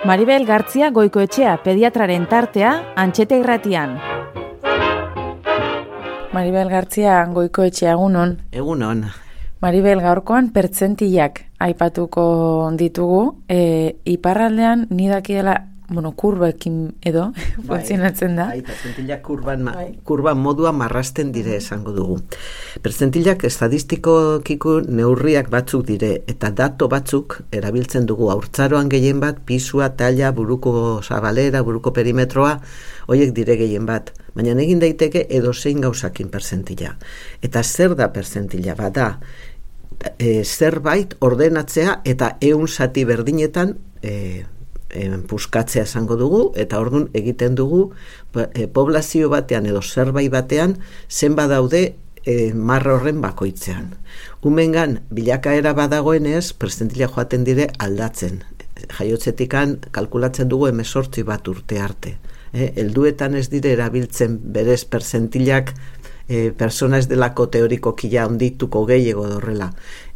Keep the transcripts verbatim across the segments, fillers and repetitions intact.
Maribel Gartzia Goikoetxea pediatraren tartea Antxeta Irratian. Maribel Gartzia Goikoetxea, egunon. Egunon. Maribel, gaurkoan pertzentilak aipatuko ditugu. E, iparraldean nidakiela, bueno, kurbekin edo, bai, funtzionatzen da. Bai, pertzentilak kurban, ma, bai. kurban modua marrasten dire esango dugu. Pertzentilak estadistikokiko neurriak batzuk dire, eta dato batzuk erabiltzen dugu. Haurtzaroan gehien bat, pisua, taila, buruko zabalera, buruko perimetroa, horiek dire gehien bat. Baina egin daiteke edozein gauzakin pertzentila. Eta zer da pertzentila? Bada, e, zerbait ordenatzea eta ehun zati berdinetan e, e, puskatzea esango dugu, eta ordun egiten dugu e, poblazio batean edo zerbait batean zenba daude e, marra horren bakoitzean. Umengan bilakaera badagoenez, pertzentila joaten dire aldatzen. Jaiotzetikan kalkulatzen dugu hemezortzi bat urte arte. Eh, elduetan ez dire erabiltzen berez perzentilak eh, persona ez delako teorikokia ondituko gehiago dorrela.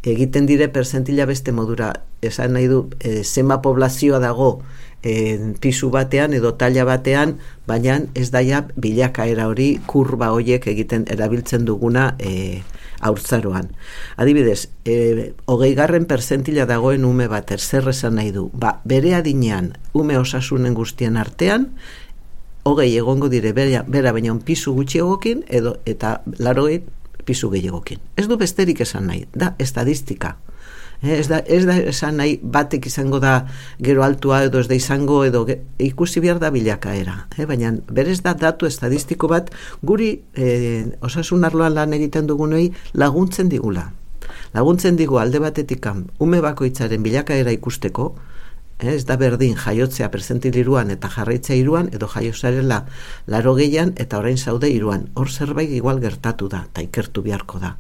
Egiten dire pertzentila beste modura, esan nahi du, eh, zema poblazioa dago eh, pisu batean edo taila batean, baina ez daia bilakaera hori kurba horiek egiten erabiltzen duguna eh, haurtzaroan. Adibidez, eh, hogeigarren pertzentila dagoen ume bat, zer esan nahi du, ba, bere adinean ume osasunen guztien artean, hogei egongo dire bera, bera baina un pisu gutxiagokin edo eta larogei pisu gehiagokin. Ez du besterik esan nahi, da estadistika. Eh, ez, da, ez da esan nahi batek izango da gero altua edo ez da izango edo ge, ikusi behar da bilakaera. Eh, baina berez da datu estadistiko bat guri eh, osasun arloan lan egiten dugunei laguntzen digula. Laguntzen digu alde batetik ume bakoitzaren bilakaera ikusteko. Ez da berdin jaiotzea perzentil iruan eta jarraitzea iruan, edo jaiozarela laro gehian eta orain zaude iruan. Hor zerbait igual gertatu da, eta ikertu beharko da.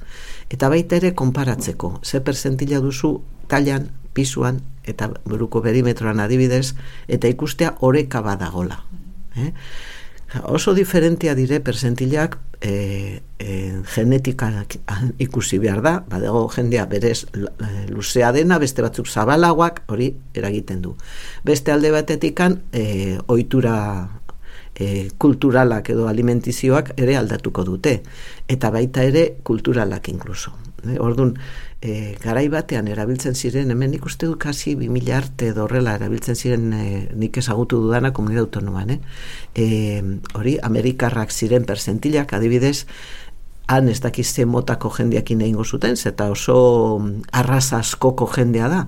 Eta baita ere konparatzeko, ze pertzentila duzu tailan, pisuan eta buruko perimetroan adibidez, eta ikustea oreka badagola. Eh? Oso diferentia dire perzentilak e, e, genetikak ikusi behar da, badago jendea berez luzea dena, beste batzuk zabalagoak, hori eragiten du. Beste alde batetikan e, ohitura e, kulturalak edo alimentizioak ere aldatuko dute, eta baita ere kulturalak inkluso. E, Orduan, e, garai batean erabiltzen ziren, hemen ikuste du kasi bi mila arte dorrela erabiltzen ziren e, nik ezagutu dudana komunitate autonoman, eh? E, hori, amerikarrak ziren perzentilak, adibidez, han ez dakiz ze motako jendeakin egingo zuten, eta oso arraza askoko jendea da,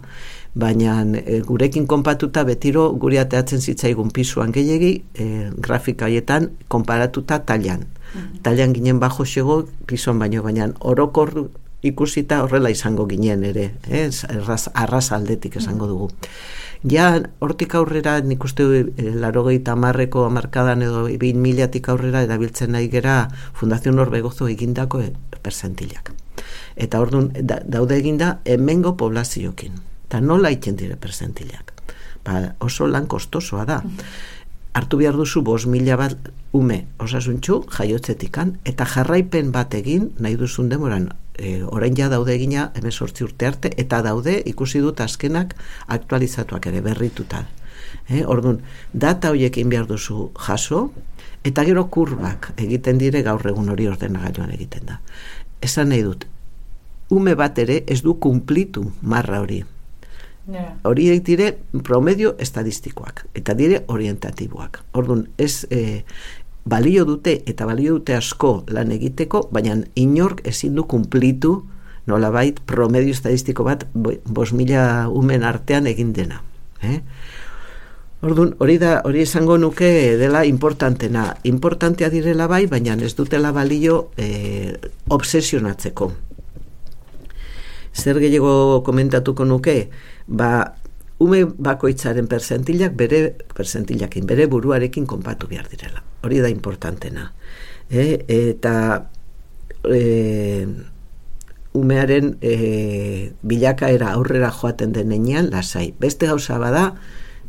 baina e, gurekin konpatuta betiro guri ateatzen zitzaigun pisuan gehiegi, e, grafika haietan konparatuta tailan. Mm-hmm. Tailan ginen bajo xego pisuan baino, baina orokor ikusita horrela izango ginen ere, eh? Arraz, arraz aldetik esango dugu. Ja, hortik aurrera, nik uste e, larogeita hamarreko hamarkadan edo bin milatik aurrera erabiltzen nahi gera Fundación Orbegozo egindako e, perzentilak. Eta orduan, da, daude eginda hemengo poblaziokin. Eta nola iten dire perzentilak? Ba, oso lan kostosoa da. Hartu behar duzu bost mila bat ume osasuntxu jaiotzetikan, eta jarraipen bat egin nahi duzun demoran. E, orain ja daude egina hemezortzi urte arte, eta daude ikusi dut azkenak aktualizatuak ere berrituta. E, orduan, data horiekin behar duzu jaso, eta gero kurbak egiten dire gaur egun hori ordenagailuan egiten da. Esan nahi dut, ume bat ere ez du kumplitu marra hori. Yeah. Horiek dire promedio estadistikoak, eta dire orientatiboak. Orduan, ez e, balio dute, eta balio dute asko lan egiteko, baina inork ezin du kumplitu nolabait promedio estadistiko bat bost mila umen artean egin dena. Eh? Orduan, hori da, hori esango nuke dela importantena. Importantea direla bai, baina ez dutela balio e, obsesionatzeko. Zer gehiago komentatuko nuke, ba, ume bakoitzaren perzentilak bere percentilakin, bere buruarekin konpatu behar direla. Hori da importantena. E, eta e, umearen e, bilakaera aurrera joaten denean lasai. Beste gauza bada,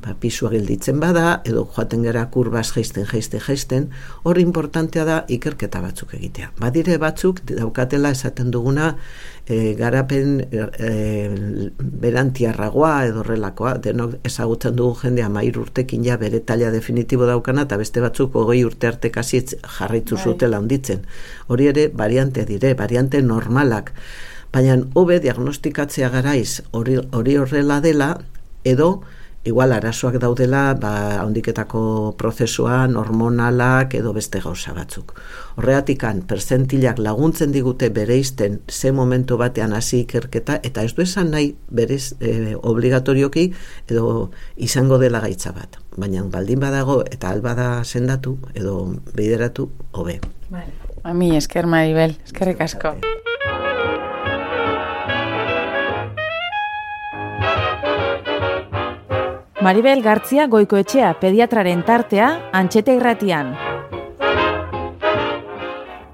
ba, pisua gelditzen bada, edo joaten gara kurbaz jaisten, jaisten, jaisten, hor importantea da ikerketa batzuk egitea. Badire batzuk daukatela esaten duguna e, garapen e, berantiarragoa edo horrelakoa, denok ezagutzen dugu jende hamairu urtekin ja bere taila definitibo daukana, eta beste batzuk hogei urte arte kasi jarraitu zutela handitzen. Hori ere variante dire, variante normalak, baina hobe diagnostikatzea garaiz hori hori horrela dela, edo igual arazoak daudela ba, handiketako prozesuan, hormonalak edo beste gauza batzuk. Horreatikan, perzentilak laguntzen digute bereizten ze momentu batean hasi ikerketa, eta ez du esan nahi berez e, obligatorioki edo izango dela gaitza bat. Baina baldin badago eta albada sendatu edo bideratu hobe. Vale. Ami, esker Maribel, eskerrik asko. Maribel Gartzia Goikoetxea pediatraren tartea Antxeta Irratian.